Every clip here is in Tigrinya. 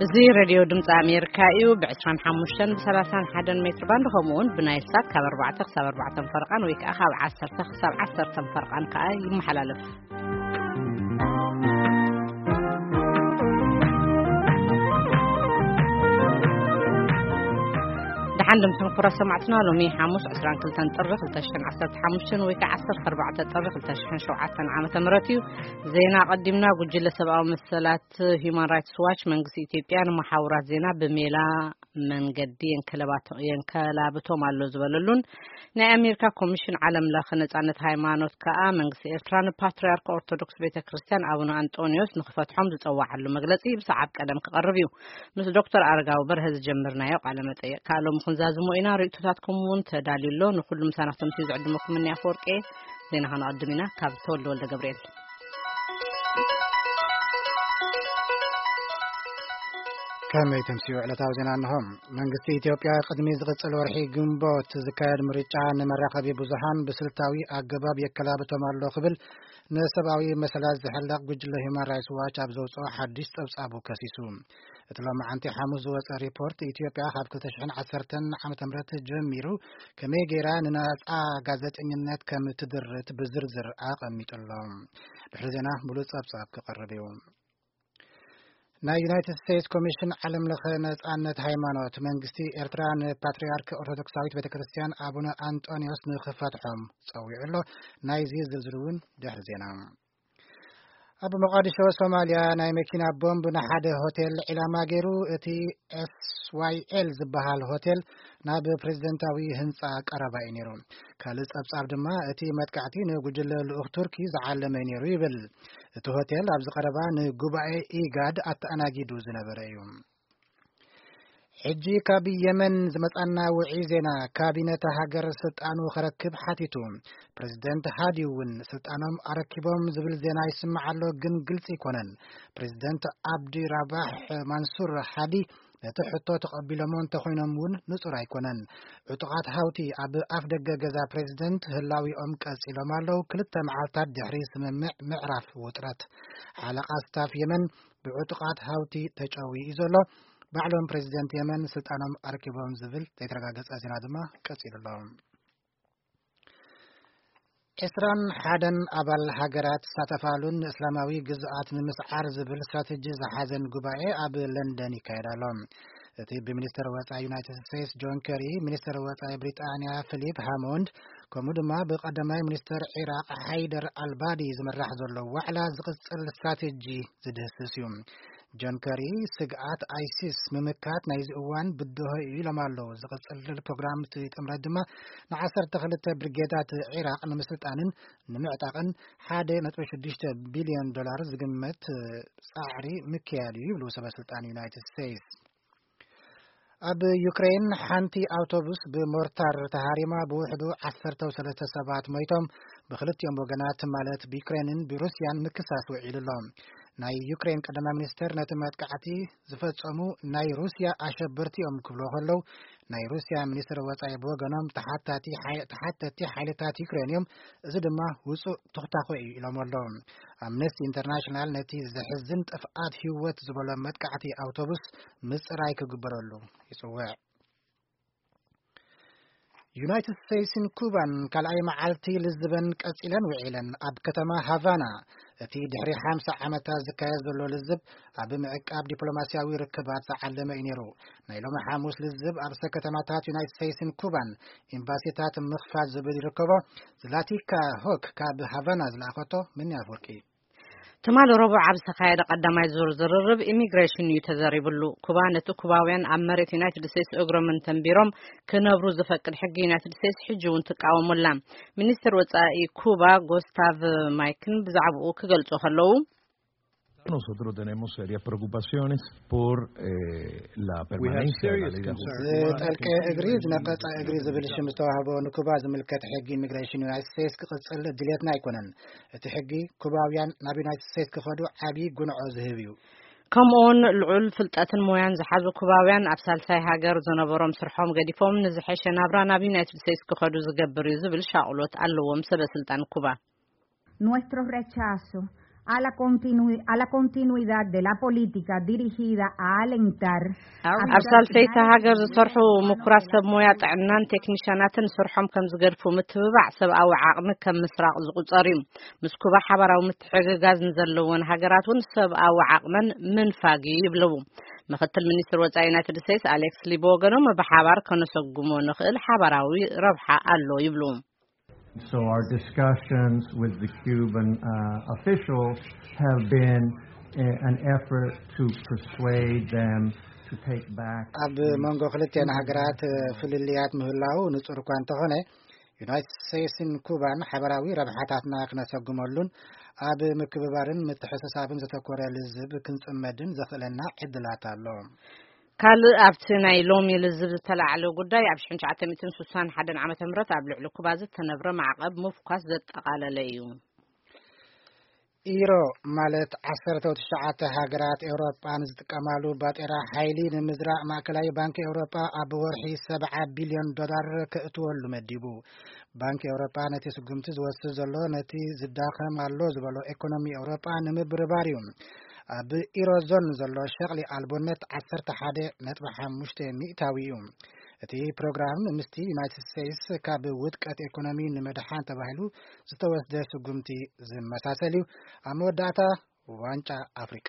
እዚ ሬድዮ ድምፂ ኣሜሪካ እዩ። ብ25 ብ31 ሜትር ባንድ፣ ከምኡ እውን ብናይል ሳት ካብ ኣርባዕተ ክሳብ ኣርባዕተ ፈረቓን ወይ ከዓ ካብ ዓሰርተ ክሳብ ዓሰርተ ፈረቓን ከዓ ይመሓላለፍ። ደሓን ድምፅን ክቡራት ሰማዕትና፣ ሎሚ ሓሙስ ዕስራን ክልተን ጥሪ ክልተ ሽሕን ዓሰርተ ሓሙሽተን ወይ ከዓ ዓሰርተ ኣርባዕተ ጥሪ ክልተ ሽሕን ሸውዓተን ዓመተ ምህረት እዩ። ዜና ቀዲምና። ጉጅለ ሰብኣዊ መሰላት ሂዩማን ራይትስ ዋች፣ መንግስቲ ኢትዮጵያ ንመሓውራት ዜና ብሜላ መንገዲ የንከለባቶ-፣ የንከላብቶም ኣሎ ዝበለሉን፣ ናይ ኣሜሪካ ኮሚሽን ዓለም ለኸ ነጻነት ሃይማኖት ከኣ መንግስቲ ኤርትራ ንፓትርያርክ ኦርቶዶክስ ቤተ ክርስቲያን ኣቡነ ኣንጦንዮስ ንክፈትሖም ዝጸዋዓሉ መግለጺ ብሰዓብ ቀደም ክቐርብ እዩ። ምስ ዶክተር ኣረጋዊ በርሀ ዝጀመርናዮ ቃለ መጠይቅ ከኣ ሎሚ ክንዛዝሞ ኢና። ርእይቶታትኩም እውን ተዳልዩ ኣሎ። ንኩሉ ምሳና ክትምስዩ ዝዕድመኩም እኒ ኣፈወርቂ። ዜና ከነቐድም ኢና። ካብ ተወልደ ወልደ ገብርኤል። ከመይ ተምስዩ ዕለታዊ ዜና እንሆ። መንግስቲ ኢትዮጵያ ቅድሚ ዝቕጽል ወርሒ ግንቦት ዝካየድ ምርጫ ንመራኸቢ ብዙሃን ብስልታዊ ኣገባብ የከላብቶም ኣሎ ክብል ንሰብኣዊ መሰላት ዝሕለቕ ጉጅለ ሂዩማን ራይትስ ዋች ኣብ ዘውፅኦ ሓድሽ ጸብጻቡ ከሲሱ። እቲ ሎማዓንቲ ሓሙስ ዝወጸ ሪፖርት፣ ኢትዮጵያ ካብ ክልተ ሽሕን ዓሰርተን ዓመተ ምህረት ጀሚሩ ከመይ ገይራ ንናጻ ጋዜጠኝነት ከም ትድርት ብዝርዝር ኣቐሚጡ ኣሎ። ድሕሪ ዜና ሙሉእ ጸብጻብ ክቐርብ እዩ። ናይ ዩናይትድ ስቴትስ ኮሚሽን ዓለም ለኸ ነጻነት ሃይማኖት፣ መንግስቲ ኤርትራ ንፓትርያርክ ኦርቶዶክሳዊት ቤተ ክርስቲያን ኣቡነ ኣንጦንዮስ ንክፈትሖም ጸዊዑ ኣሎ። ናይዚ ዝርዝር እውን ድሕሪ ዜና። ኣብ ሞቃዲሾ ሶማልያ፣ ናይ መኪና ቦምብ ንሓደ ሆቴል ዒላማ ገይሩ፣ እቲ ኤስ ዋይ ኤል ዝበሃል ሆቴል ናብ ፕሬዝደንታዊ ህንጻ ቀረባ እዩ ነይሩ። ካልእ ጸብጻብ ድማ፣ እቲ መጥቃዕቲ ንጉጅለ ልኡኽ ቱርኪ ዝዓለመ እዩ ነይሩ ይብል። እቲ ሆቴል ኣብዚ ቀረባ ንጉባኤ ኢጋድ ኣተኣናጊዱ ዝነበረ እዩ። ሕጂ ካብ የመን ዝመጻና ውዒ ዜና፣ ካቢነ እታ ሃገር ስልጣኑ ከረክብ ሓቲቱ። ፕሬዝደንት ሃዲ እውን ስልጣኖም ኣረኪቦም ዝብል ዜና ይስማዕ ኣሎ፣ ግን ግልጺ ኣይኮነን። ፕሬዝደንት ኣብዲ ራባሕ ማንሱር ሃዲ ነቲ ሕቶ ተቐቢሎሞ እንተኾይኖም እውን ንጹር ኣይኮነን። ዕጡቓት ሃውቲ ኣብ ኣፍ ደገ ገዛ ፕሬዝደንት ህላዊኦም ቀጺሎም ኣለዉ። ክልተ መዓልታት ድሕሪ ስምምዕ ምዕራፍ ውጥረት፣ ሓለቓ ስታፍ የመን ብዕጡቓት ሃውቲ ተጨውዩ እዩ ዘሎ። ባዕሎም ፕሬዝደንት የመን ስልጣኖም ኣረኪቦም ዝብል ዘይተረጋገጸ ዜና ድማ ቀጺሉ ኣሎ። ዕስራን ሓደን ኣባል ሃገራት ዝሳተፋሉን ንእስላማዊ ግዝኣት ንምስዓር ዝብል ስትራተጂ ዝሓዘን ጉባኤ ኣብ ለንደን ይካየድ ኣሎ። እቲ ብሚኒስተር ወጻኢ ዩናይትድ ስቴትስ ጆን ከሪ፣ ሚኒስተር ወጻኢ ብሪጣንያ ፊሊፕ ሃሞንድ፣ ከምኡ ድማ ብቀዳማይ ሚኒስተር ዒራቅ ሓይደር ኣልባዲ ዝምራሕ ዘሎ ዋዕላ ዝቕጽል ስትራተጂ ዝድህስስ እዩ። ጆን ከሪ፣ ስግኣት ኣይሲስ ምምካት ናይዚ እዋን ብድሆ እዩ ኢሎም ኣለዉ። ዝቕጽል ፕሮግራም እቲ ጥምረት ድማ ንዓሰርተ ክልተ ብርጌዳት ዒራቕ ንምስልጣንን ንምዕጣቕን ሓደ ነጥቢ ሽዱሽተ ቢልዮን ዶላር ዝግመት ጻዕሪ ምክያድ እዩ ይብሉ ሰበ ስልጣን ዩናይትድ ስቴትስ። ኣብ ዩክሬን ሓንቲ ኣውቶቡስ ብሞርታር ተሃሪማ ብውሕዱ ዓሰርተ ሰለስተ ሰባት ሞይቶም፣ ብክልቲኦም ወገናት ማለት ብዩክሬንን ብሩስያን ምክሳስ ውዒሉ ኣሎ። ናይ ዩክሬን ቀዳማይ ሚኒስተር ነቲ መጥቃዕቲ ዝፈጸሙ ናይ ሩስያ ኣሸበርቲ እዮም ክብሉ ከለዉ፣ ናይ ሩስያ ሚኒስትር ወጻኢ ብወገኖም ተሓታቲ ሓይ-፣ ተሓተቲ ሓይልታት ዩክሬን እዮም፣ እዚ ድማ ውጹእ ትኹታኾ እዩ ኢሎም ኣለዉ። ኣምነስቲ ኢንተርናሽናል ነቲ ዘሕዝን ጥፍኣት ህይወት ዝበሎ መጥቃዕቲ ኣውቶቡስ ምጽራይ ክግበረሉ ይጽውዕ። ዩናይትድ ስቴትስን ኩባን ካልኣይ መዓልቲ ልዝበን ቀጺለን ውዒለን። ኣብ ከተማ ሃቫና እቲ ድሕሪ ሓምሳ ዓመታት ዝካየድ ዘሎ ልዝብ ኣብ ምዕቃብ ዲፕሎማስያዊ ርክባት ዝዓለመ እዩ ነይሩ። ናይ ሎሚ ሓሙስ ልዝብ ኣብ ርእሰ ከተማታት ዩናይትድ ስቴትስን ኩባን ኤምባሲታት ምኽፋት ዝብል ይርከቦ። ዝላቲካ ሆክ ካብ ሃቫና ዝለኣኸቶ ምንያ ኣፍወርቂ። ትማሊ ረቡዕ ኣብ ዝተኻየደ ቀዳማይ ዙር ዝርርብ ኢሚግሬሽን እዩ ተዘሪብሉ። ኩባ ነቲ ኩባውያን ኣብ መሬት ዩናይትድ ስቴትስ እግሮም እንተንቢሮም ክነብሩ ዝፈቅድ ሕጊ ዩናይትድ ስቴትስ ሕጂ እውን ትቃወሙላ። ሚኒስትር ወጻኢ ኩባ ጎስታቭ ማይክን ብዛዕባኡ ክገልጹ ከለዉ፣ Nosotros tenemos serias preocupaciones por eh, la We have permanencia de la serious ley de concerns. ዝጠልቀ እግሪ ዝነቀጸ እግሪ ዝብል ሽም ዝተዋህቦ ንኩባ ዝምልከት ሕጊ ኢሚግሬሽን ዩናይትድ ስቴትስ ክቕጽል ድሌትና ኣይኮነን። እቲ ሕጊ ኩባውያን ናብ ዩናይትድ ስቴትስ ክኸዱ ዓብዪ ጉንዖ ዝህብ እዩ። ከምኡውን ልዑል ፍልጠትን ሞያን ዝሓዙ ኩባውያን ኣብ ሳልሳይ ሃገር ዝነበሮም ስርሖም ገዲፎም ንዝሐሸ ናብራ ናብ ዩናይትድ ስቴትስ ክኸዱ ዝገብር እዩ ዝብል ሻቕሎት ኣለዎም ሰበ ስልጣን ኩባ። Nuestro rechazo a la, continui- a la continuidad de la política dirigida a alentar a... ኣብ ሳልሰይቲ ሃገር ዝሰርሑ ምኩራት ሰብ ሞያ ጥዕናን ቴክኒሻናትን ስርሖም ከም ዝገድፉ ምትብባዕ ሰብኣዊ ዓቕሚ ከም ምስራቕ ዝቑጸር እዩ። ምስ ኩባ ሓባራዊ ምትሕግጋዝ ንዘለወን ሃገራት እውን ሰብኣዊ ዓቕመን ምንፋግ እዩ ይብለዉ። ምክትል ሚኒስትር ወጻኢ ዩናይትድ ስቴትስ ኣሌክስ ሊ ብወገኖም ብሓባር ከነሰጉሞ ንኽእል ሓባራዊ ረብሓ ኣሎ ይብሉ። So our discussions with the Cuban uh, officials have been a- an effort to persuade them to take back. ኣብ መንጎ ክልቲአን ሃገራት ፍልልያት ምህላው ንጹር እኳ እንተኾነ፣ ዩናይትድ ስቴትስን ኩባን ሓበራዊ ረብሓታትና ክነሰጉመሉን ኣብ ምክብባርን ምትሕስሳብን ዘተኮረ ልዝብ ክንጽመድን ዘኽእለና ዕድላት ኣሎ። ካልእ ኣብቲ ናይ ሎሚ ልዝብ ዝተላዕለ ጉዳይ ኣብ ሽሕን ትሽዓተ ሚእትን ስሳን ሓደን ዓመተ ምህረት ኣብ ልዕሊ ኩባ ዝተነብረ ማዕቐብ ምፍኳስ ዘጠቓለለ እዩ። ኢሮ ማለት ዓሰርተ ትሽዓተ ሃገራት ኤውሮጳ ንዝጥቀማሉ ባጤራ ሓይሊ ንምዝራእ ማእከላዊ ባንኪ ኤውሮጳ ኣብ ወርሒ ሰብዓ ቢልዮን ዶላር ከእትወሉ መዲቡ። ባንኪ ኤውሮጳ ነቲ ስጉምቲ ዝወስድ ዘሎ ነቲ ዝዳኸም ኣሎ ዝበሎ ኤኮኖሚ ኤውሮጳ ንምብርባር እዩ። ኣብ ኢሮዞን ዘሎ ሸቕሊ ኣልቦነት ዓሰርተ ሓደ ነጥቢ ሓሙሽተ ሚእታዊ እዩ። እቲ ፕሮግራም ምስቲ ዩናይትድ ስቴትስ ካብ ውድቀት ኤኮኖሚ ንምድሓን ተባሂሉ ዝተወስደ ስጉምቲ ዝመሳሰል እዩ። ኣብ መወዳእታ ዋንጫ ኣፍሪቃ።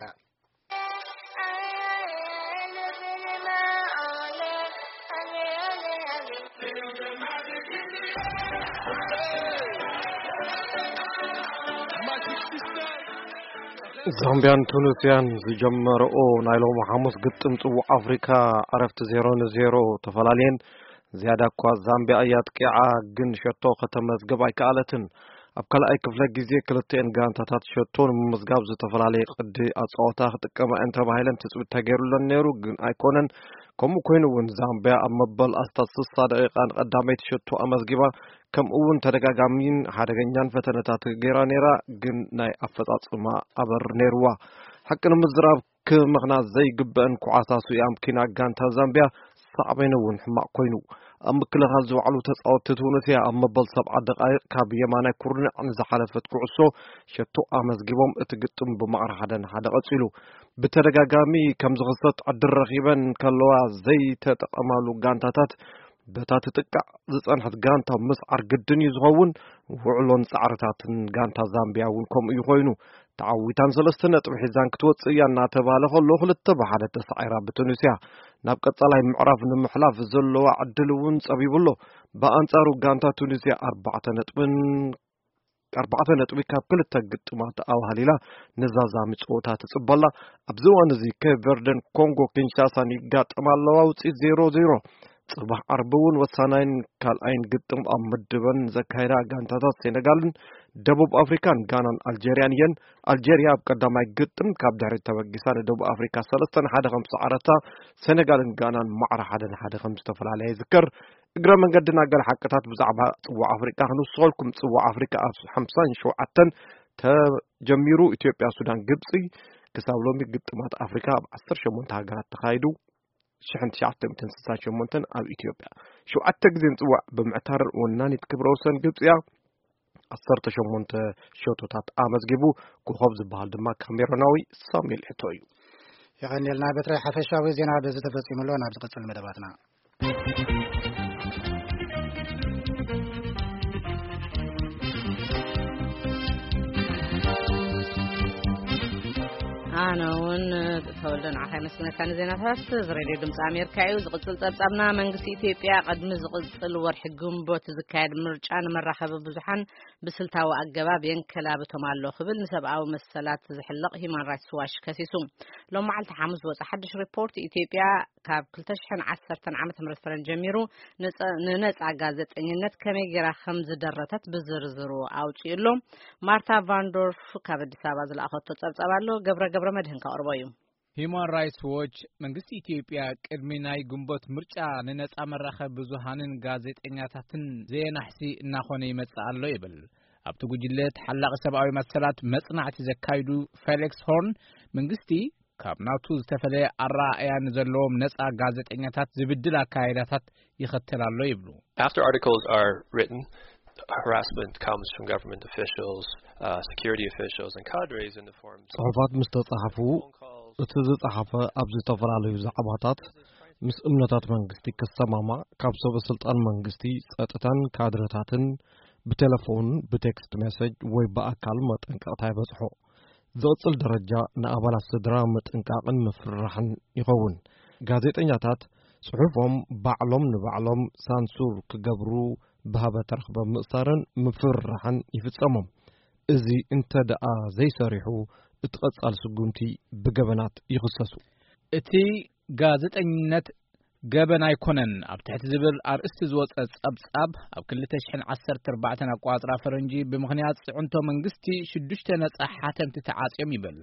ዛምቢያን ቱኒስያን ዝጀመረኦ ናይ ሎሚ ሓሙስ ግጥም ጽዋዕ ኣፍሪካ ዕረፍቲ ዜሮ ንዜሮ ተፈላለየን። ዝያዳ እኳ ዛምቢያ እያ ኣጥቂዓ፣ ግን ሸቶ ከተመዝግብ ኣይከኣለትን። ኣብ ካልኣይ ክፍለ ግዜ ክልተኤን ጋንታታት ሸቶ ንምምዝጋብ ዝተፈላለየ ቅዲ ኣጻወታ ክጥቀማ እየን ተባሂለን ትጽቢት ተገይሩለን ነይሩ፣ ግን ኣይኮነን። ከምኡ ኮይኑ እውን ዛምቢያ ኣብ መበል ኣስታት ስሳ ደቂቃ ንቀዳመይቲ ሸቶ ኣመዝጊባ፣ ከምኡ እውን ተደጋጋሚን ሓደገኛን ፈተነታት ገይራ ነይራ፣ ግን ናይ ኣፈጻጽማ ኣበር ነይርዋ። ሓቂ ንምዝራብ ክምኽና ዘይግበአን ኩዓሳሱ የኣምኪና ጋንታ ዛምቢያ ሳዕቤኑ እውን ሕማቕ ኮይኑ። ኣብ ምክልኻል ዝወዓሉ ተጻወትቲ ቱኒስያ ኣብ መበል ሰብዓ ደቓይቕ ካብ የማናይ ኩርንዕ ንዝሓለፈት ኩዕሶ ሸቶ ኣመዝጊቦም እቲ ግጥም ብማዕረ ሓደ ንሓደ ቀጺሉ። ብተደጋጋሚ ከም ዝኽሰት ዕድል ረኺበን ከለዋ ዘይተጠቐማሉ ጋንታታት በታ ትጥቃዕ ዝጸንሐት ጋንታ ምስዓር ግድን እዩ ዝኸውን። ውዕሎን ጻዕርታትን ጋንታ ዛምቢያ እውን ከምኡ እዩ ኮይኑ። ተዓዊታን ሰለስተ ነጥቢ ሒዛን ክትወጽእ እያ እናተባህለ ከሎ ክልተ ብሓደ ተሳዒራ ብቱኒስያ ናብ ቀጻላይ ምዕራፍ ንምሕላፍ ዘለዋ ዕድል እውን ጸቢቡ ኣሎ። ብኣንጻሩ ጋንታ ቱኒስያ ኣርባዕተ ነጥብን ኣርባዕተ ነጥቢ ካብ ክልተ ግጥማት ኣዋህሊላ ንዛዛሚ ጸወታ ትጽበላ። ኣብዚ እዋን እዚ ኬፕ ቨርደን ኮንጎ ኪንሻሳን ይጋጠማ ኣለዋ። ውጽኢት ዜሮ ዜሮ። ጽባሕ ዓርቢ እውን ወሳናይን ካልኣይን ግጥም ኣብ ምድበን ዘካየዳ ጋንታታት ሴኔጋልን ደቡብ ኣፍሪካን ጋናን ኣልጀርያን እየን። ኣልጀርያ ኣብ ቀዳማይ ግጥም ካብ ድሕሪት ተበጊሳ ንደቡብ ኣፍሪካ ሰለስተ ንሓደ ከም ዝሰዓረታ፣ ሴኔጋልን ጋናን ማዕረ ሓደ ንሓደ ከም ዝተፈላለያ ይዝከር። እግረ መንገድና ገለ ሓቅታት ብዛዕባ ጽዋዕ ኣፍሪቃ ክንውስኸልኩም። ጽዋዕ ኣፍሪቃ ኣብ ሓምሳን ሸውዓተን ተጀሚሩ። ኢትዮጵያ፣ ሱዳን፣ ግብጺ ክሳብ ሎሚ ግጥማት ኣፍሪካ ኣብ ዓሰርተ ሸሞንተ ሃገራት ተኻይዱ። ሽሕን ትሽዓተ ሚእትን ስሳን ሸሞንተን ኣብ ኢትዮጵያ ሸውዓተ ግዜ ንጽዋዕ ብምዕታር ወናኒት ክብረ ወሰን ግብጺ እያ። ዓሰርተ ሸሞንተ ሸቶታት ኣመዝጊቡ። ኮኾብ ዝበሃል ድማ ካሜሮናዊ ሳሙኤል ኤቶ እዩ። የቐንየልና በትረ። ሓፈሻዊ ዜና በዚ ተፈጺሙ ኣሎ። ናብ ዝቕጽል መደባትና። ኣነ እውን ተወልደ ንዓኻ የመስግነካ ንዜናታት። እዚ ሬድዮ ድምፂ ኣሜሪካ እዩ። ዝቕፅል ፀብፃብና፣ መንግስቲ ኢትዮጵያ ቅድሚ ዝቕፅል ወርሒ ግንቦት ዝካየድ ምርጫ ንመራኸቢ ብዙሓን ብስልታዊ ኣገባብ የንከላብቶም ኣሎ ክብል ንሰብኣዊ መሰላት ዝሕለቕ ሂማን ራይትስ ዋች ከሲሱ። ሎም መዓልቲ ሓሙስ ዝወፀ ሓድሽ ሪፖርት፣ ኢትዮጵያ ካብ ክልተ ሽሕን ዓሰርተን ዓመተ ምህረት ፈረንጂ ጀሚሩ ንጸ- ንነጻ ጋዜጠኝነት ከመይ ጌራ ከም ዝደረተት ብዝርዝሩ ኣውጺኡ ኣሎ። ማርታ ቫንዶርፍ ካብ ኣዲስ ኣበባ ዝለኣኸቶ ጸብጻብ ኣሎ። ገብረ ገብረ መድህን ከቕርቦ እዩ። ሂማን ራይትስ ዎች መንግስቲ ኢትዮጵያ ቅድሚ ናይ ግንቦት ምርጫ ንነጻ መራኸቢ ብዙሃንን ጋዜጠኛታትን ዘየናሕሲ እናኾነ ይመጽእ ኣሎ ይብል። ኣብቲ ጉጅለ ተሓላቒ ሰብኣዊ መሰላት መጽናዕቲ ዘካይዱ ፌሊክስ ሆርን መንግስቲ ካብ ናቱ ዝተፈለየ ኣረኣእያ ንዘለዎም ነጻ ጋዜጠኛታት ዝብድል ኣካይዳታት ይኸተል ኣሎ ይብሉ። After articles are written, harassment comes from government officials, uh, security officials, and cadres in the form ጽሑፋት ምስ ተጻሕፉ፣ እቲ ዝጸሓፈ ኣብ ዝተፈላለዩ ዛዕባታት ምስ እምነታት መንግስቲ ክሰማማዕ፣ ካብ ሰበ ስልጣን መንግስቲ፣ ጸጥታን ካድረታትን ብቴሌፎን፣ ብቴክስት ሜሴጅ ወይ ብኣካል መጠንቀቕታ ይበጽሖ። ዝቕጽል ደረጃ ንኣባላት ስድራ ምጥንቃቕን ምፍርራሕን ይኸውን። ጋዜጠኛታት ጽሑፎም ባዕሎም ንባዕሎም ሳንሱር ክገብሩ፣ ብሃበ ተረኽበ ምእሳርን ምፍርራሕን ይፍጸሞም። እዚ እንተ ደኣ ዘይሰሪሑ፣ እቲ ቀጻል ስጉምቲ ብገበናት ይኽሰሱ። እቲ ጋዜጠኝነት ገበን ኣይኮነን ኣብ ትሕቲ ዝብል ኣርእስቲ ዝወጸ ጸብጻብ፣ ኣብ ክልተ ሽሕን ዓሰርተ ኣርባዕተን ኣቆጻጽራ ፈረንጂ ብምኽንያት ጽዕንቶ መንግስቲ ሽዱሽተ ነጻ ሓተምቲ ተዓጽዮም ይብል።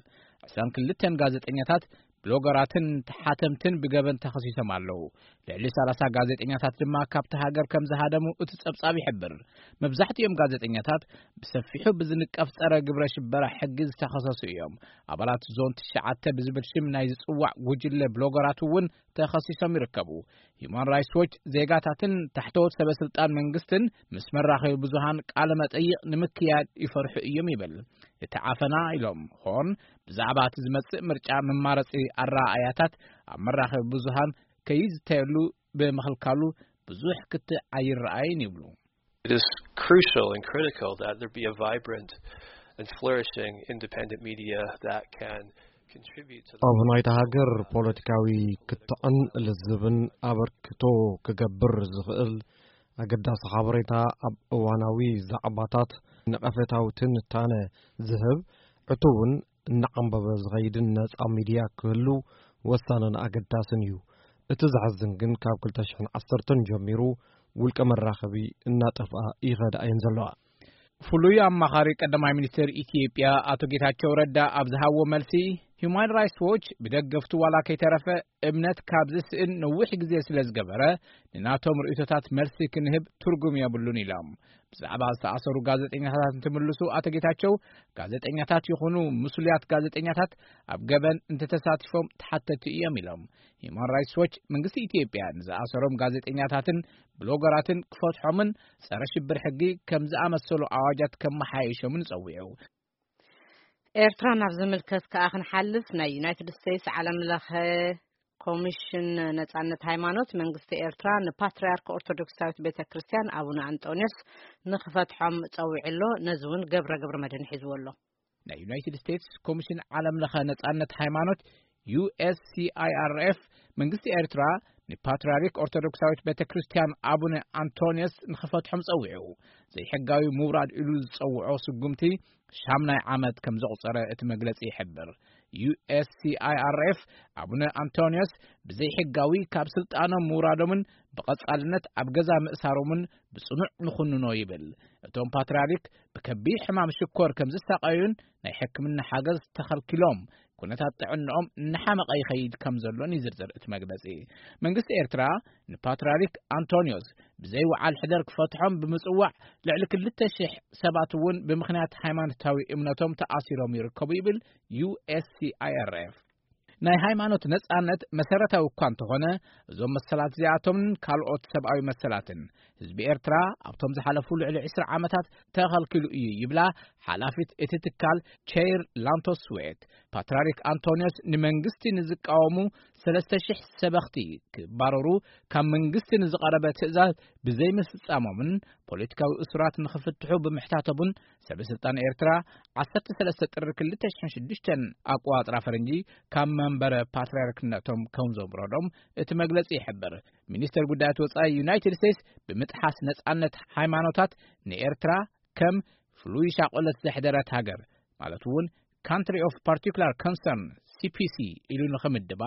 ዕስራን ክልተን ጋዜጠኛታት፣ ብሎገራትን ተሓተምትን ብገበን ተኸሲሶም ኣለዉ። ልዕሊ ሰላሳ ጋዜጠኛታት ድማ ካብቲ ሃገር ከም ዝሃደሙ እቲ ጸብጻብ ይሕብር። መብዛሕትኦም ጋዜጠኛታት ብሰፊሑ ብዝንቀፍ ጸረ ግብረ ሽበራ ሕጊ ዝተኸሰሱ እዮም። ኣባላት ዞን ትሽዓተ ብዝብል ሽም ናይ ዝጽዋዕ ጉጅለ ብሎገራት እውን ተኸሲሶም ይርከቡ። ሂዩማን ራይትስ ዎች ዜጋታትን ታሕተዎት ሰበ ስልጣን መንግስትን ምስ መራኸቢ ብዙሃን ቃለ መጠይቕ ንምክያድ ይፈርሑ እዮም ይብል። እቲ ዓፈና ኢሎም ሆርን ብዛዕባ እቲ ዝመጽእ ምርጫ መማረጺ ኣረኣእያታት ኣብ መራኸቢ ብዙሃን ከይዝተየሉ ብምኽልካሉ ብዙሕ ክትዕ ኣይረኣይን ይብሉ። It is crucial and critical that there be a vibrant and flourishing independent media that can contribute to the ኣብ ናይታ ሃገር ፖለቲካዊ ክትዕን ልዝብን ኣበርክቶ ክገብር ዝኽእል ኣገዳሲ ሓበሬታ፣ ኣብ እዋናዊ ዛዕባታት ነቐፌታዊ ትንታነ ዝህብ ዕቱብን እናዓንበበ ዝኸይድን ነጻ ሚድያ ክህሉ ወሳንን ኣገዳስን እዩ። እቲ ዘሕዝን ግን ካብ ክልተ ሽሕን ዓሰርተን ጀሚሩ ውልቀ መራኸቢ እናጠፍኣ ይኸዳ እየን ዘለዋ። ፍሉይ ኣማኻሪ ቀዳማይ ሚኒስትር ኢትዮጵያ ኣቶ ጌታቸው ረዳ ኣብ ዝሃቦ መልሲ፣ ሂዩማን ራይትስ ዎች ብደገፍቱ ዋላ ከይተረፈ እምነት ካብ ዝስእን ነዊሕ ግዜ ስለ ዝገበረ፣ ንናቶም ርእይቶታት መልሲ ክንህብ ትርጉም የብሉን ኢሎም። ብዛዕባ ዝተኣሰሩ ጋዜጠኛታት እንትምልሱ ኣቶ ጌታቸው፣ ጋዜጠኛታት ይኹኑ ምስሉያት ጋዜጠኛታት ኣብ ገበን እንተተሳቲፎም ተሓተቲ እዮም ኢሎም። ሂዩማን ራይትስ ዎች መንግስቲ ኢትዮጵያ ንዝኣሰሮም ጋዜጠኛታትን ብሎገራትን ክፈትሖምን ጸረ ሽብር ሕጊ ከም ዝኣመሰሉ ኣዋጃት ከመሓየሾምን ጸዊዑ። ኤርትራ ናብ ዝምልከት ከኣ ክንሓልፍ፣ ናይ ዩናይትድ ስቴትስ ዓለም ለኸ ኮሚሽን ነጻነት ሃይማኖት መንግስቲ ኤርትራ ንፓትርያርክ ኦርቶዶክሳዊት ቤተ ክርስቲያን ኣቡነ ኣንጦንዮስ ንኽፈትሖም ጸዊዑ ኣሎ። ነዚ እውን ገብረ ገብረ መድህን ሒዝዎ ኣሎ። ናይ ዩናይትድ ስቴትስ ኮሚሽን ዓለም ለኸ ነጻነት ሃይማኖት፣ ዩ ኤስ ሲ ኣይ ኣር ኤፍ፣ መንግስቲ ኤርትራ ንፓትርያርክ ኦርቶዶክሳዊት ቤተ ክርስቲያን ኣቡነ ኣንቶንዮስ ንኽፈትሖም ጸዊዑ። ዘይሕጋዊ ምውራድ ኢሉ ዝጸውዖ ስጉምቲ ሻምናይ ዓመት ከም ዘቑጸረ እቲ መግለጺ ይሕብር። ዩ ኤስ ሲ ኣይ ኣር ኤፍ፣ ኣቡነ ኣንቶንዮስ ብዘይሕጋዊ ካብ ስልጣኖም ምውራዶምን ብቐጻልነት ኣብ ገዛ ምእሳሮምን ብጽኑዕ ንኹንኖ ይብል። እቶም ፓትርያርክ ብከቢድ ሕማም ሽኮር ከም ዝሳቐዩን ናይ ሕክምና ሓገዝ ተኸልኪሎም፣ ኩነታት ጥዕንኦም እናሓመቐ ይኸይድ ከም ዘሎን ይዝርዝር እቲ መግለጺ። መንግስቲ ኤርትራ ንፓትርያርክ ኣንቶንዮስ ብዘይ ወዓል ሕደር ክፈትሖም ብምጽዋዕ፣ ልዕሊ ክልተ ሽሕ ሰባት እውን ብምኽንያት ሃይማኖታዊ እምነቶም ተኣሲሮም ይርከቡ ይብል ዩ ኤስ ሲ ኣይ ኣር ኤፍ። ናይ ሃይማኖት ነጻነት መሰረታዊ እኳ እንተኾነ፣ እዞም መሰላት እዚኣቶምን ካልኦት ሰብኣዊ መሰላትን ህዝቢ ኤርትራ ኣብቶም ዝሓለፉ ልዕሊ ዕስራ ዓመታት ተኸልኪሉ እዩ ይብላ ሓላፊት እቲ ትካል ቸይር ላንቶስ ስዌት። ፓትርያርክ ኣንቶንዮስ ንመንግስቲ ንዝቃወሙ ሰለስተ ሽሕ ሰበኽቲ ክባረሩ ካብ መንግስቲ ንዝቐረበ ትእዛዝ ብዘይምፍጻሞምን ፖለቲካዊ እሱራት ንኽፍትሑ ብምሕታቶምን ሰበ ስልጣን ኤርትራ ዓሰርተ ሰለስተ ጥሪ ክልተ ሽሕን ሽዱሽተን ኣቆጻጽራ ፈረንጂ ካብ መንበረ ፓትርያርክነቶም ከም ዘውረዶም እቲ መግለጺ ይሕብር። ሚኒስተር ጉዳያት ወጻኢ ዩናይትድ ስቴትስ ብምጥሓስ ነጻነት ሃይማኖታት ንኤርትራ ከም ፍሉይ ሻቆለት ዘሕደረት ሃገር፣ ማለት እውን ካንትሪ ኦፍ ፓርቲኩላር ኮንሰርን፣ ሲ ፒ ሲ፣ ኢሉ ንኽምድባ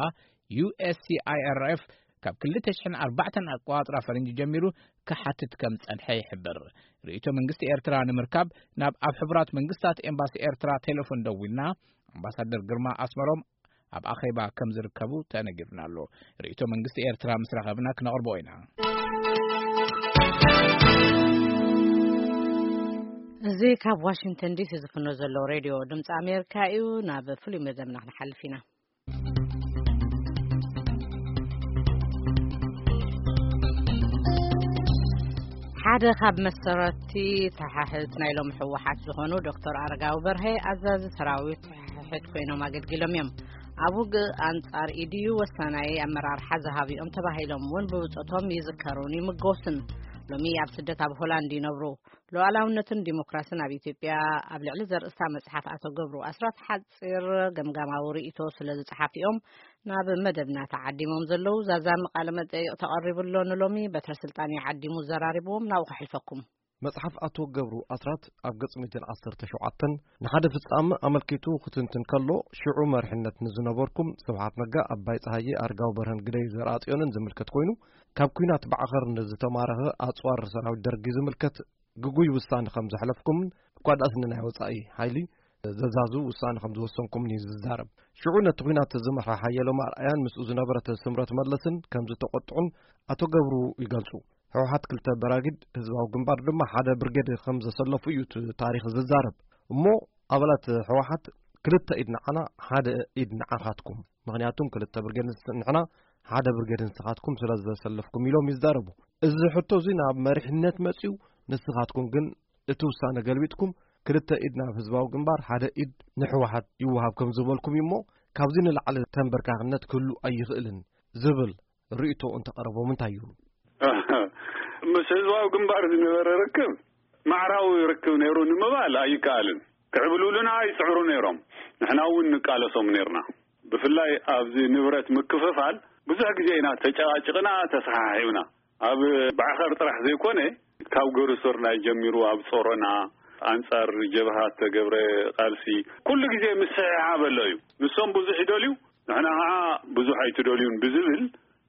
ዩ ኤስ ሲ ኣይ ኣር ኤፍ ካብ ክልተ ሽሕን ኣርባዕተን ኣቆጻጽራ ፈረንጂ ጀሚሩ ክሓትት ከም ጸንሐ ይሕብር። ርእይቶ መንግስቲ ኤርትራ ንምርካብ ናብ ኣብ ሕቡራት መንግስታት ኤምባሲ ኤርትራ ቴሌፎን ደዊልና፣ ኣምባሳደር ግርማ ኣስመሮም ኣብ ኣኼባ ከም ዝርከቡ ተነጊሩና ኣሎ። ርእይቶ መንግስቲ ኤርትራ ምስ ረኸብና ክነቕርቦ ኢና። እዚ ካብ ዋሽንግተን ዲሲ ዝፍኖ ዘሎ ሬድዮ ድምፂ ኣሜሪካ እዩ። ናብ ፍሉይ መደብና ክንሓልፍ ኢና። ሓደ ካብ መሰረቲ ተሓሕት ናይ ሎም ህወሓት ዝኾኑ ዶክተር ኣረጋዊ በርሀ ኣዛዚ ሰራዊት ተሓሕት ኮይኖም ኣገልጊሎም እዮም። ኣብ ውግእ ኣንጻር ኢድዩ ወሳናይ ኣመራርሓ ዝሃብኦም ተባሂሎም እውን ብብጾቶም ይዝከሩን ይምጎስን። ሎሚ ኣብ ስደት ኣብ ሆላንድ ይነብሩ። ሉዓላውነትን ዲሞክራስን ኣብ ኢትዮጵያ ኣብ ልዕሊ ዘርእስታ መጽሓፍ ኣቶ ገብሩ ኣስራት ሓጺር ገምጋማዊ ርእይቶ ስለ ዝጸሓፊኦም ናብ መደብና ተዓዲሞም ዘለዉ ዛዛሚ ቃለ መጠይቕ ተቐሪቡ ኣሎ። ንሎሚ በትረ ስልጣን ይዓዲሙ ዘራሪብዎም ናብኡ ከሕልፈኩም። መጽሓፍ ኣቶ ገብሩ ኣስራት ኣብ ገጽ ሚእትን ዓሰርተ ሸውዓተን ንሓደ ፍጻመ ኣመልኪቱ ክትንትን ከሎ፣ ሽዑ መሪሕነት ንዝነበርኩም ስብሓት ነጋ፣ ኣባይ ጸሃየ፣ ኣርጋው በርሀን ግደይ ዘርኣጽዮንን ዝምልከት ኮይኑ፣ ካብ ኲናት ባዕኸር ንዝተማረኸ ኣጽዋር ሰራዊት ደርጊ ዝምልከት ግጉይ ውሳነ ከም ዘሕለፍኩምን እኳ ደኣስ ንናይ ወጻኢ ሓይሊ ዘዛዙ ውሳነ ከም ዝወሰንኩምን እዩ ዝዛረብ። ሽዑ ነቲ ኲናት ዝመርሐ ሓየሎም ኣርኣያን ምስኡ ዝነበረት ስምረት መለስን ከም ዝተቖጥዑን ኣቶ ገብሩ ይገልጹ። ህወሓት ክልተ በራጊድ፣ ህዝባዊ ግንባር ድማ ሓደ ብርጌድ ከም ዘሰለፉ እዩ እቲ ታሪኽ ዝዛረብ። እሞ ኣባላት ህወሓት ክልተ ኢድ ንዓና፣ ሓደ ኢድ ንዓኻትኩም። ምኽንያቱም ክልተ ብርጌድ ንስ-፣ ንሕና፣ ሓደ ብርጌድ ንስኻትኩም ስለ ዘሰለፍኩም ኢሎም ይዛረቡ። እዚ ሕቶ እዚ ናብ መሪሕነት መጺኡ፣ ንስኻትኩም ግን እቲ ውሳነ ገልቢጥኩም፣ ክልተ ኢድ ናብ ህዝባዊ ግንባር፣ ሓደ ኢድ ንህወሓት ይወሃብ ከም ዝበልኩም እዩ። እሞ ካብዚ ንላዕሊ ተንበርካኽነት ክህሉ ኣይኽእልን ዝብል ርእይቶ እንተቐረቦም እንታይ ይብሉ? ምስ ህዝባዊ ግንባር ዝነበረ ርክብ ማዕራዊ ርክብ ነይሩ ንምባል ኣይከኣልን። ክዕብልሉና ይጽዕሩ ነይሮም። ንሕና እውን ንቃለሶም ነይርና። ብፍላይ ኣብዚ ንብረት ምክፍፋል ብዙሕ ግዜ ኢና ተጨቃጭቅና፣ ተሰሓሒብና። ኣብ ባዕኸር ጥራሕ ዘይኮነ፣ ካብ ገሩሶርናይ ጀሚሩ ኣብ ጾሮና ኣንጻር ጀብሃ ተገብረ ቃልሲ ኩሉ ግዜ ምስሕሓብ ኣሎ እዩ። ንሶም ብዙሕ ይደልዩ፣ ንሕና ኸዓ ብዙሕ ኣይትደልዩን ብዝብል፣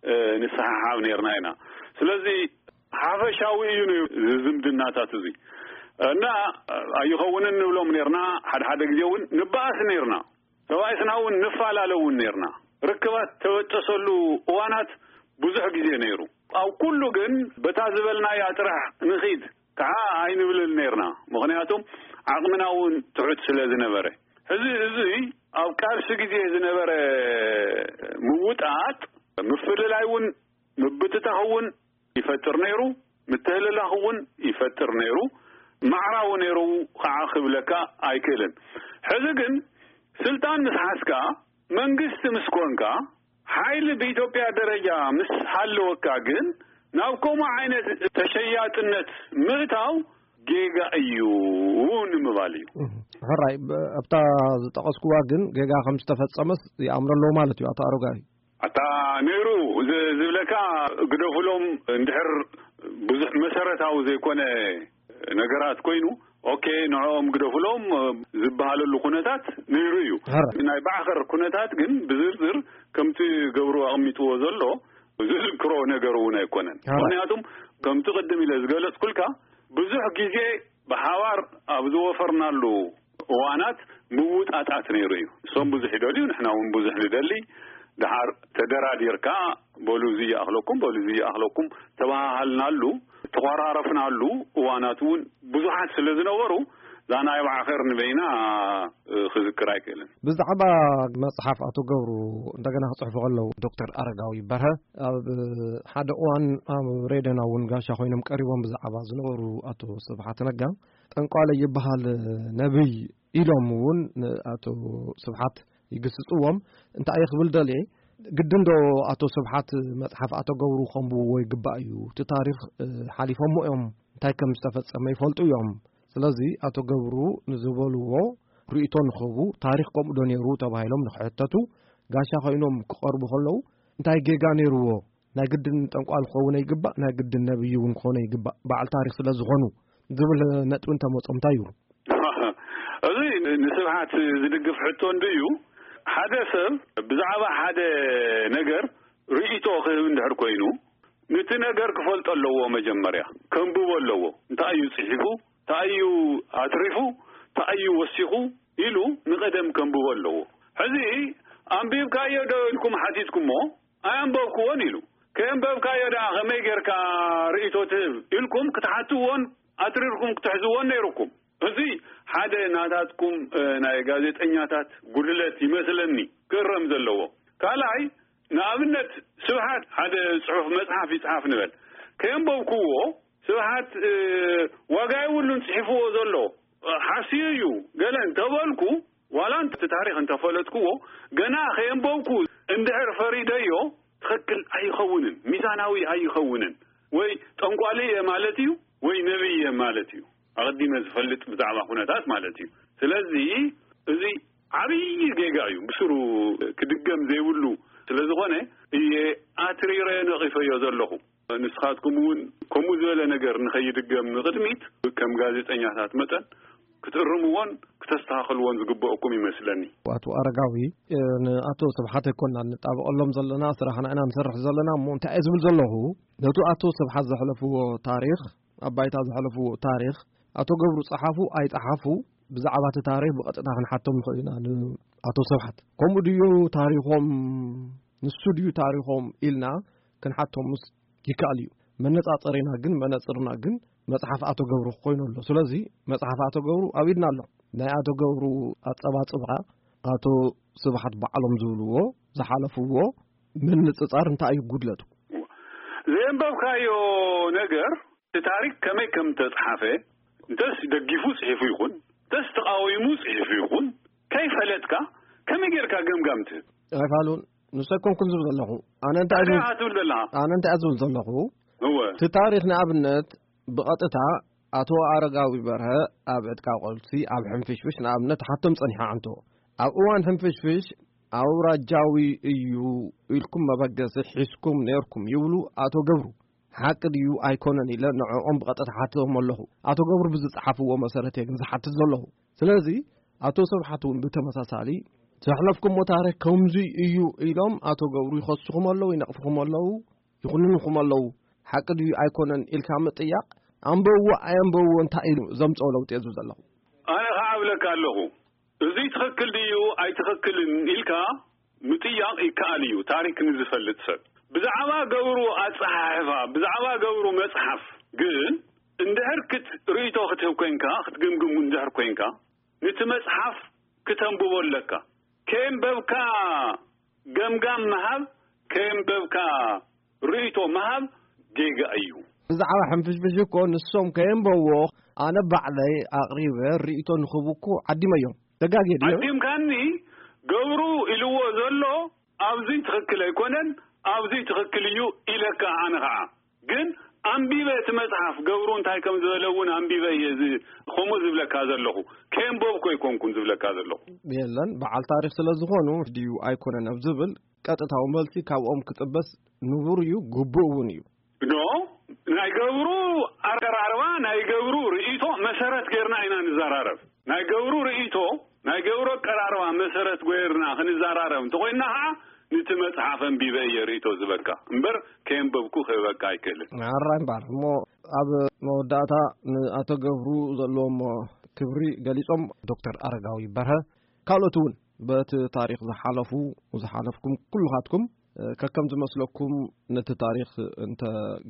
እ፣ ንሰሓሓብ ነይርና ኢና። ስለዚ ሓፈሻዊ እዩ ነይሩ እዚ ዝምድናታት እዚ። እና ኣይኸውንን ንብሎም ነይርና፣ ሓደ ሓደ ግዜ እውን ንበኣስ ነይርና። ተባኢስና እውን ንፈላለ እውን ነይርና። ርክባት ተበጠሰሉ እዋናት ብዙሕ ግዜ ነይሩ። ኣብ ኩሉ ግን በታ ዝበልናያ ጥራሕ ንኺድ ከዓ ኣይንብልን ነይርና። ምኽንያቱም ዓቕምና እውን ትሑት ስለ ዝነበረ። ሕዚ እዚ ኣብ ቃልሲ ግዜ ዝነበረ ምውጣጥ፣ ምፍልላይ እውን ምብትታኽ እውን ይፈጥር ነይሩ፣ ምትህልላኽ እውን ይፈጥር ነይሩ፣ ማዕራዊ ነይሩ ከዓ ክብለካ ኣይክእልን። ሕዚ ግን ስልጣን ምስ ሓዝካ፣ መንግስቲ ምስ ኮንካ፣ ሓይሊ ብኢትዮጵያ ደረጃ ምስ ሃለወካ ግን ናብ ከምኡ ዓይነት ተሸያጥነት ምእታው ጌጋ እዩ ንምባል እዩ። እህ፣ ሕራይ፣ ብ-፣ ኣብታ ዝጠቐስኩዋ ግን ጌጋ ከም ዝተፈጸመስ ይኣምሮ ኣለዎ ማለት እዩ ኣቶ ኣረጋዊ። ኣታ ነይሩ ዝ-፣ ዝብለካ ግደፉሎም እንድሕር ብዙሕ መሰረታዊ ዘይኮነ ነገራት ኮይኑ፣ ኦኬ፣ ንዕኦም ግደፉሎም ዝበሃለሉ ኩነታት ነይሩ እዩ። ሕራይ። ናይ ባዕኸር ኩነታት ግን ብዝርዝር ከምቲ ገብሩ ኣቕሚጥዎ ዘሎ ዝዝክሮ ነገር እውን ኣይኮነን። ሕራይ። ምኽንያቱም ከምቲ ቅድም ኢለ ዝገለጽኩልካ ብዙሕ ግዜ ብሓባር ኣብ ዝወፈርናሉ እዋናት ምውጣጣት ነይሩ እዩ። እሶም ብዙሕ ይደልዩ፣ ንሕና እውን ብዙሕ ንደሊ። ደሓር ተደራዲርካ፣ በሉ እዚ ይኣኽለኩም፣ በሉ እዚ ይኣኽለኩም ተባሃሃልናሉ፣ ተኾራረፍናሉ እዋናት እውን ብዙሓት ስለ ዝነበሩ፣ እዛ ናይ ባዕኸር ንበይና፣ እ፣ ክዝክር ኣይክእልን። ብዛዕባ መጽሓፍ ኣቶ ገብሩ እንደገና ክጽሕፉ ከለዉ፣ ዶክተር ኣረጋዊ በርሀ ኣብ ሓደ እዋን ኣብ ሬድዮና እውን ጋሻ ኮይኖም ቀሪቦም ብዛዕባ ዝነበሩ ኣቶ ስብሓት ነጋ፣ ጠንቋለ ይበሃል ነብይ ኢሎም እውን ንኣቶ ስብሓት ይግስጽዎም። እንታይ እየ ክብል ደልየ፣ ግድን ዶ ኣቶ ስብሓት መጽሓፍ ኣቶ ገብሩ ከንብብዎ ይግባእ እዩ? እቲ ታሪኽ፣ እ፣ ሓሊፎሞ እዮም፣ እንታይ ከም ዝተፈጸመ ይፈልጡ እዮም። ስለዚ ኣቶ ገብሩ ንዝበልዎ ርእይቶ ንኽህቡ፣ ታሪኽ ከምኡ ዶ ነይሩ ተባሂሎም ንኽሕተቱ፣ ጋሻ ኮይኖም ክቐርቡ ከለዉ፣ እንታይ ጌጋ ነይርዎ? ናይ ግድን ጠንቋል ክኸውን ይግባእ፣ ናይ ግድን ነብይ እውን ክኾነ ይግባእ፣ በዓል ታሪኽ ስለ ዝኾኑ ዝብል ነጥቢ እንተመጾም እንታይ ይብሉ? እዚ ንስብሓት ዝድግፍ ሕቶ እንድዩ። ሓደ ሰብ ብዛዕባ ሓደ ነገር ርእይቶ ክህብ እንድሕር ኮይኑ፣ ነቲ ነገር ክፈልጦ ኣለዎ። መጀመርያ ከንብቦ ኣለዎ። እንታይ እዩ ጽሒፉ፣ እንታይ እዩ ኣትሪፉ፣ እንታይ እዩ ወሲኹ ኢሉ ንቐደም ከንብቦ ኣለዎ። ሕዚ ኣንቢብካዮ ዶ ኢልኩም ሓቲትኩሞ፣ ኣየንበብክዎን ኢሉ። ከየንበብካዮ ደኣ ከመይ ጌርካ ርእይቶ ትህብ ኢልኩም ክትሓትዎን ኣትሪርኩም ክትሕዝዎን ነይሩኩም። እዚ ሓደ ናታትኩም፣ እ፣ ናይ ጋዜጠኛታት ጉድለት ይመስለኒ ክእረም ዘለዎ። ካልኣይ፣ ንኣብነት ስብሓት ሓደ ጽሑፍ መጽሓፍ ይጽሓፍ ንበል። ከየንበብክዎ ስብሓት ዋጋ የብሉን ጽሒፍዎ ዘሎ፣ ሓስዩ እዩ። ገለ እንተበልኩ፣ ዋላ እቲ ታሪኽ እንተፈለጥክዎ፣ ገና ከየንበብኩ እንድሕር ፈሪደዮ፣ ትኽክል ኣይኸውንን፣ ሚዛናዊ ኣይኸውንን። ወይ ጠንቋሊ እየ ማለት እዩ፣ ወይ ነብይ እየ ማለት እዩ። ኣቐዲመ ዝፈልጥ ብዛዕባ ኩነታት ማለት እዩ። ስለዚ እዚ ዓብዪ ጌጋ እዩ፣ ብስሩ ክድገም ዘይብሉ ስለ ዝኾነ እየ ኣትሪረ ነቒፈዮ ዘለኹ። ንስኻትኩም እውን ከምኡ ዝበለ ነገር ንኸይድገም ንቕድሚት ከም ጋዜጠኛታት መጠን ክትእርምዎን ክተስተኻኽልዎን ዝግበአኩም ይመስለኒ። ኣቶ ኣረጋዊ፣ ንኣቶ ስብሓት ኣይኮንና ንጣበቐሎም ዘለና፣ ስራሕና ኢና ንሰርሕ ዘለና። እሞ እንታይ እየ ዝብል ዘለኹ፣ ነቱ ኣቶ ስብሓት ዘሕለፍዎ ታሪኽ፣ ኣብ ባይታ ዘሕለፍዎ ታሪኽ፣ ኣቶ ገብሩ ጸሓፉ ኣይጸሓፉ፣ ብዛዕባ እቲ ታሪኽ ብቐጥታ ክንሓቶም ንኽእል ኢና ንኣቶ ስብሓት። ከምኡ ድዩ ታሪኾም፣ ንሱ ድዩ ታሪኾም ኢልና ክንሓቶምስ ይከኣል እዩ። መነጻጸሪና ግን፣ መነጽርና ግን መጽሓፍ ኣቶ ገብሩ ኮይኑ ኣሎ። ስለዚ መጽሓፍ ኣቶ ገብሩ ኣብ ኢድና ኣሎ። ናይ ኣቶ ገብሩ ኣጸባጽባ፣ ኣቶ ስብሓት ባዕሎም ዝብልዎ፣ ዝሓለፍዎ ምንጽጻር እንታይ እዩ ጉድለቱ? ዘየንበብካዮ ነገር፣ እቲ ታሪክ ከመይ ከም ተጽሓፈ፣ እንተስ ደጊፉ ጽሒፉ ይኹን፣ እንተስ ተቓዊሙ ጽሒፉ ይኹን፣ ከይፈለጥካ ከመይ ጌርካ ገምጋም ትህብ? ኣይፋሉን። ንሱ ኣይኮንኩን ዝብል ዘለኹ። ኣነ እንታይ እንታይ ዝብል፣ ኢኻ ትብል ዘለኻ? ኣነ እንታይ ዝብል ዘለኹ? እወ። እቲ ታሪኽ ንኣብነት ብቐጥታ ኣቶ ኣረጋዊ በርሀ ኣብ ዕጥቃ ቆልሲ ኣብ ሕንፍሽፍሽ ንኣብነት ሓቶም ጸኒሓ ኣንቶ። ኣብ እዋን ሕንፍሽፍሽ ኣውራጃዊ እዩ ኢልኩም መበገሲ ሒዝኩም ነርኩም ይብሉ ኣቶ ገብሩ። ሓቂ ድዩ ኣይኮነን ኢለ ንዕኦም ብቐጥታ ሓትቶም ኣለኹ። ኣቶ ገብሩ ብዝጸሓፍዎ መሰረት እየ ግን ዝሓትት ዘለኹ። ስለዚ ኣቶ ስብሓት እውን ብተመሳሳሊ ዘሕለፍኩሞ ታሪኽ ከምዚ እዩ ኢሎም ኣቶ ገብሩ ይኸስኹም ኣለዉ፣ ይነቕፍኹም ኣለዉ፣ ይኹንንኹም ኣለዉ። ሓቂ ድዩ ኣይኮነን ኢልካ ምጥያቕ፣ ኣንበብዎ ኣየንበብዎ እንታይ እዩ ዘምጽኦ ለውጢ እየ ዝብል ዘለኹ። ኣነ ኸዓ እብለካ ኣለኹ፣ እዚ ትኽክል ድዩ ኣይትኽክልን ኢልካ ምጥያቕ ይከኣል እዩ፣ ታሪክ ንዝፈልጥ ሰብ። ብዛዕባ ገብሩ ኣጸሓሕፋ፣ ብዛዕባ ገብሩ መጽሓፍ ግን እንድሕር ክት-፣ ርእይቶ ክትህብ ኮንካ፣ ክትግምግም እንድሕር ኮንካ፣ ነቲ መጽሓፍ ክተንብቦ ኣለካ። ከየንበብካ ገምጋም ምሃብ፣ ከየንበብካ ርእይቶ ምሃብ ጌጋ እዩ። ብዛዕባ ሕንፍሽፍሽ እኮ ንሶም ከየንበብዎ ኣነ ባዕለይ ኣቕሪበ ርእይቶ ንኽህቡ እኮ ዓዲመዮም። ተጋግየ ድዮ? ዓዲምካኒ፣ ገብሩ ኢልዎ ዘሎ ኣብዚ ትኽክል ኣይኮነን፣ ኣብዚ ትኽክል እዩ ኢለካ። ኣነ ኸዓ ግን ኣንቢበ እቲ መጽሓፍ ገብሩ እንታይ ከም ዝበለ እውን ኣንቢበ እየ እዚ ከምኡ ዝብለካ ዘለኹ። ከየንበብኩ ኣይኮንኩን ዝብለካ ዘለኹ። የለን፣ በዓል ታሪኽ ስለ ዝኾኑ ድዩ ኣይኮነን ኣብ ዝብል ቀጥታዊ መልሲ ካብኦም ክጽበስ ንቡር እዩ፣ ግቡእ እውን እዩ። ኖ፣ ናይ ገብሩ ኣቀራርባ፣ ናይ ገብሩ ርእይቶ መሰረት ጌርና ኢና ንዘራረብ። ናይ ገብሩ ርእይቶ፣ ናይ ገብሩ ኣቀራርባ መሰረት ጌርና ክንዘራረብ እንተኾይንና ኸዓ፣ ነቲ መጽሓፍ ኣንቢበ እየ ርእይቶ ዝበካ እምበር፣ ከየንበብኩ ክህበካ ኣይክእልን። ሕራይ እምበኣር፣ እሞ ኣብ መወዳእታ ንኣቶ ገብሩ ዘለዎም ክብሪ ገሊጾም፣ ዶክተር ኣረጋዊ በርሀ፣ ካልኦት እውን በቲ ታሪኽ ዝሓለፉ፣ ዝሓለፍኩም ኩልኻትኩም፣ እ፣ ከከም ዝመስለኩም ነቲ ታሪኽ እንተ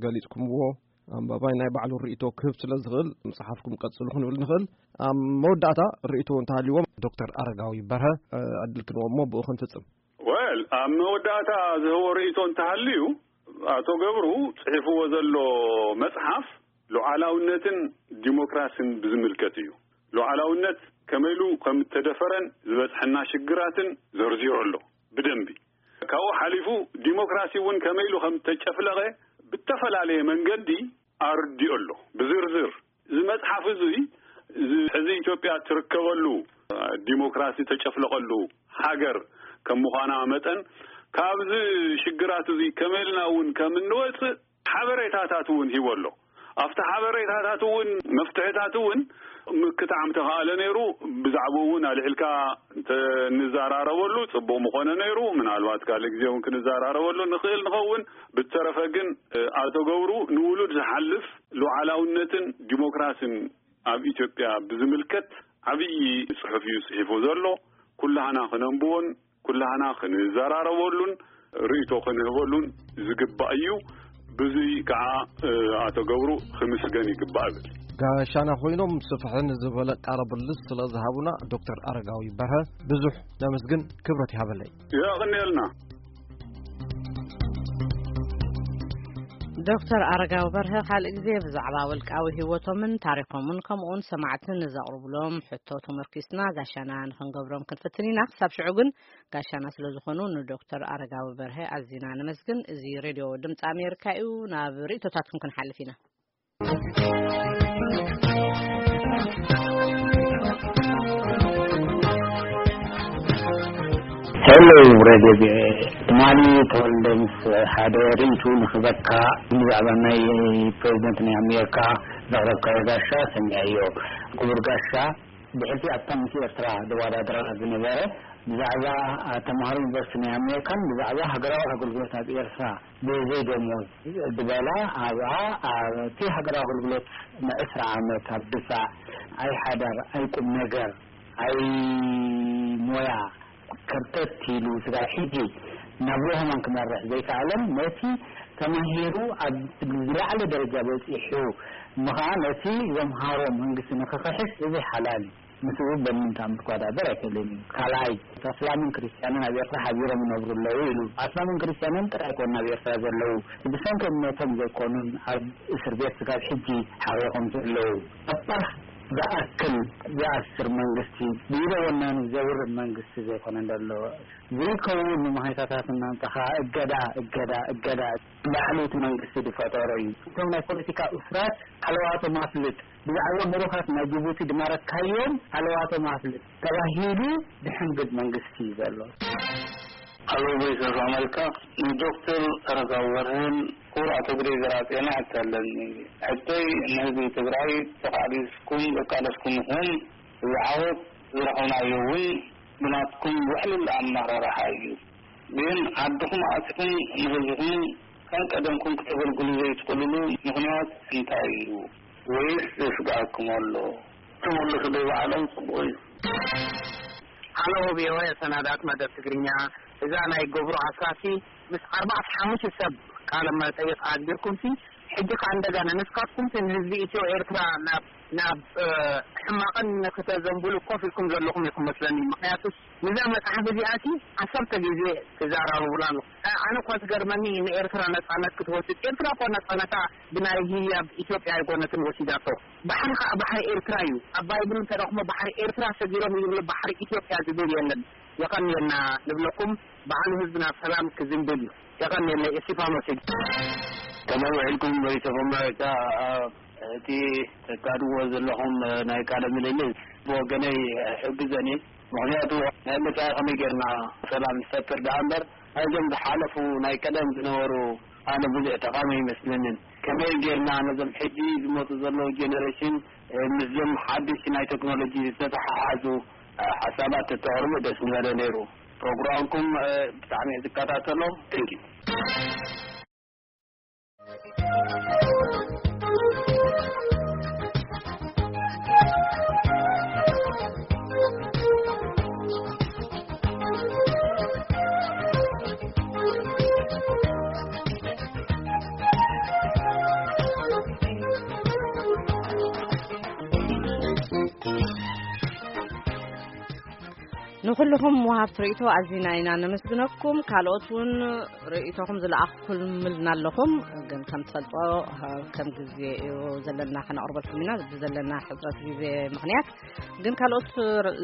ገሊጽኩምዎ፣ ኣንባባይ ናይ ባዕሉ ርእይቶ ክህብ ስለ ዝኽእል፣ ምጽሓፍኩም ቀጽሉ ክንብል ንኽእል። ኣብ መወዳእታ ርእይቶ እንተሃልይዎም ዶክተር ኣረጋዊ በርሀ፣ እ፣ ዕድል ክንቦ እሞ ብኡ ክንፍጽም። ወል፣ ኣብ መወዳእታ ዝህቦ ርእይቶ እንተሃልዩ፣ ኣቶ ገብሩ ጽሒፍዎ ዘሎ መጽሓፍ ሉዓላውነትን ዲሞክራስን ብዝምልከት እዩ። ሉዓላውነት ከመይ ኢሉ ከም እተደፈረን ዝበጽሐና ሽግራትን ዘርዚሩ ኣሎ ብደንቢ። ካብኡ ሓሊፉ ዲሞክራሲ እውን ከመይ ኢሉ ከም እተጨፍለቐ ብተፈላለየ መንገዲ ኣርዲኡ ኣሎ ብዝርዝር። እዚ መጽሓፍ እዚ፣ እዚ ሕዚ ኢትዮጵያ ትርከበሉ ዲሞክራሲ ተጨፍለቐሉ ሃገር ከም ምዃና መጠን፣ ካብዚ ሽግራት እዚ ከመይ ኢልና እውን ከም እንወጽእ ሓበሬታታት እውን ሂቡ ኣሎ። ኣብቲ ሓበሬታታት እውን መፍትሕታት እውን ምክታዕ ምተኻእለ ነይሩ፣ ብዛዕባኡ እውን ኣልዒልካ እንተ ንዘራረበሉ ጽቡቕ ምኾነ ነይሩ። ምናልባት ካልእ ግዜ እውን ክንዘራረበሉ ንኽእል ንኸውን። ብተረፈ ግን፣ እ፣ ኣቶ ገብሩ ንውሉድ ዝሓልፍ ሉዓላውነትን ዲሞክራስን ኣብ ኢትዮጵያ ብዝምልከት ዓብዪ ጽሑፍ እዩ ጽሒፉ ዘሎ። ኩላህና ክነንብቦን ኩላህና ክንዘራረበሉን ርእይቶ ክንህበሉን ዝግባእ እዩ። ብዙይ ከዓ፣ እ፣ ኣቶ ገብሩ ክምስገን ይግባእ እብል። ጋሻና ኮይኖም ስፍሕን ዝበለ ቃለ ምልልስ ስለ ዝሃቡና ዶክተር ኣረጋዊ በርሀ ብዙሕ ነመስግን፣ ክብረት ይሃበለይ። የቐንየልና። ዶክተር ኣረጋዊ በርሀ ካልእ ግዜ ብዛዕባ ውልቃዊ ህይወቶምን ታሪኾምን ከምኡውን ሰማዕትን ዘቕርብሎም ሕቶ ተመርኪስና ጋሻና ንኽንገብሮም ክንፍትን ኢና። ክሳብ ሽዑ ግን ጋሻና ስለ ዝኾኑ ንዶክተር ኣረጋዊ በርሀ ኣዚና ነመስግን። እዚ ሬድዮ ድምፂ ኣሜሪካ እዩ። ናብ ርእይቶታትኩም ክንሓልፍ ኢና። ሄሎ ሬድዮ ቪኦኤ፣ ትማሊ ተወልደ ምስ ሓደ ርእይቱ ንኽበካ ብዛዕባ ናይ ፕሬዚደንት ናይ ኣሜሪካ ዘቕረብካዮ ጋሻ ሰሚዐዮ። ክቡር ጋሻ፣ ብሕልፊ ኣብታ ምስ ኤርትራ ዝወዳደራ ዝነበረ ብዛዕባ ተምሃሮ ዩኒቨርሲቲ ናይ ኣሜሪካን ብዛዕባ ሃገራዊ ኣገልግሎት ኣብ ኤርትራ ብዘይ ደሞዝ ዝበላ ኣብኣ ኣብቲ ሃገራዊ ኣገልግሎት ንዕስራ ዓመት ኣብ ድፋዕ ኣይሓዳር ኣይቁም ነገር ኣይ ሞያ ከርተት ኢሉ ስጋብ ሕጂ ናብ ሮሆማን ክመርሕ ዘይከኣለን ነቲ ተማሂሩ ኣብ ዝለዓለ ደረጃ በፂሑ ምኸዓ ነቲ ዘምሃሮ መንግስቲ ንክኽሕስ እዚ ሓላል እዩ። ምስኡ በምንታም ክወዳደር ኣይክእልን እዩ። ካልኣይ፣ ኣስላምን ክርስትያንን ኣብ ኤርትራ ሓቢሮም ይነብሩ ኣለዉ ኢሉ። ኣስላምን ክርስትያንን ጥራይ ኣይኮኑን ኣብ ኤርትራ ዘለዉ፣ ብሰንኪ እምነቶም ዘይኮኑን ኣብ እስር ቤት ስጋብ ሕጂ ሓቒቖም ዘለዉ። ኣባህ ዝኣክል ዝኣስር መንግስቲ፣ ብኢደ ወናኒ ዘውርድ መንግስቲ ዘይኮነ እንደሎ። ዘይከውን ንመሃይታታት እናምጻኻ እገዳ፣ እገዳ፣ እገዳ። ላዕሊ እቲ መንግስቲ ዝፈጠሮ እዩ። እቶም ናይ ፖለቲካ እሱራት ሃለዋቶም ኣፍልጥ፣ ብዛዕባ ምሩኻት ናይ ጅቡቲ ድማረካዮም ሃለዋቶም ኣፍልጥ ተባሂሉ ዝሕንግድ መንግስቲ እዩ ዘሎ። ኣሎ። ቮይስ ኦፍ ኣመሪካ፣ ንዶክተር ኣረጋዊ በርሀን ክቡር ኣቶ ግደይ ዘርኣጽዮንን ሕቶ ኣለኒ። ሕቶይ ንህዝቢ ትግራይ ተቓሊስኩም ዘቃለስኩም ኢኹም። እዚ ዓወት ዝረኸብናዮ እውን ብናትኩም ውሕሉል ኣመራርሓ እዩ። ግን ዓድኹም ኣቲኹም ንህዝብኹም ከም ቀደምኩም ክተገልግሉ ዘይትኽእልሉ ምኽንያት እንታይ እዩ? ወይስ ዘስግኣኩም ኣሎ? ተመለሱ ዶ ባዕሎም ጽቡቕ እዩ። ሃሎ ቪኦኤ ሰናዳት መደብ ትግርኛ፣ እዛ ናይ ገብሩ ኣስራሲ ምስ ኣርባዕተ ሓሙሽተ ሰብ ቃለ መጠይቕ ኣግቢርኩምሲ፣ ሕጂ ከኣ እንደገና ንስኻትኩምሲ ንህዝቢ ኢትዮ ኤርትራ ናብ ናብ ሕማቕን ክተዘንብሉ ኮፍ ኢልኩም ዘለኹም ኢኹም መስለኒ። ምኽንያቱስ ንዛ መጽሓፍ እዚኣሲ ዓሰርተ ግዜ ትዛራረቡላ ኣለኹም። ኣነ እኳ ዝገርመኒ ንኤርትራ ነጻነት ክትወስድ፣ ኤርትራ እኮ ነጻነታ ብናይ ህያብ ኢትዮጵያ ኣይኮነትን ወሲዳቶ። ባሕሪ ኸዓ ባሕሪ ኤርትራ እዩ። ኣብ ባይብል እንተረኽሞ ባሕሪ ኤርትራ ሰጊሮም ይብሉ፣ ባሕሪ ኢትዮጵያ ዝብል የለን። የቐንየልና ንብለኩም፣ በዓሉ ህዝብና ሰላም ክዝንብል እዩ። የቐንየልና። እስቲፋኖስ እዩ። ከመይ ውዒልኩም ቮይስ ኦፍ ኣሜሪካ? እቲ ተካድዎ ዘለኹም ናይ ቃለ ምልልስ ብወገነይ ሕግዘኒ። ምኽንያቱ ናይ ምርጫ ከመይ ጌርና ሰላም ንፈጥር ደኣ እምበር፣ ናይዞም ዝሓለፉ ናይ ቀደም ዝነበሩ ኣነ ብዙሕ ጠቓሚ ኣይመስለንን። ከመይ ጌርና ነዞም ሕጂ ዝመፁ ዘለዉ ጀነሬሽን ምስዞም ሓደሽቲ ናይ ቴክኖሎጂ ዝተተሓሓዙ ሓሳባት ተተቕርቡ ደስ ምበለ ነይሩ። ፕሮግራምኩም ብጣዕሚ እየ ዝከታተሎ። Thank you። ንኹልኹም ወሃብቲ ርእይቶ ኣዚና ኢና ነመስግነኩም። ካልኦት እውን ርእይቶኹም ዝለኣኽኩምልና ኣለኹም፣ ግን ከም ትፈልጦ ከም ግዜ እዩ ዘለና ከነቕርበልኩም ኢና። ብዘለና ሕፅረት ግዜ ምኽንያት ግን ካልኦት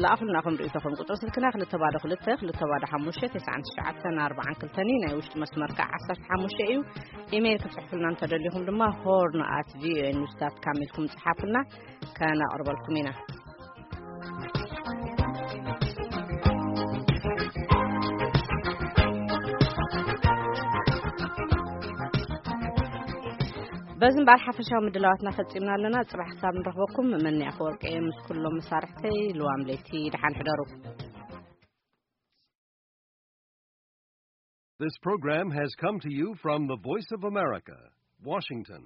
ለኣኹልና ከም ርእይቶኹም። ቁፅሪ ስልክና ክልተ ባዶ ክልተ ክልተ ባዶ ሓሙሽተ ተስዓን ትሽዓተን ኣርባዓን ክልተን እዩ። ናይ ውሽጢ መስመር ከዓ ዓሰርተ ሓሙሽተ እዩ። ኢሜይል ክትፅሕፉልና እንተደሊኹም ድማ ሆርን ኣት ቪኦኤ ኒውስ ዳት ካም ኢልኩም ፅሓፉልና፣ ከነቕርበልኩም ኢና። በዚ እምበኣር ሓፈሻዊ ምድላዋትና ፈጺምና ኣለና። ጽባሕ ክሳብ ንረኽበኩም፣ መኒ ኣፈወርቂ እየ ምስ ኩሎም መሳርሕተይ። ልዋም ለይቲ፣ ደሓን ሕደሩ። This program has come to you from the Voice of America, Washington.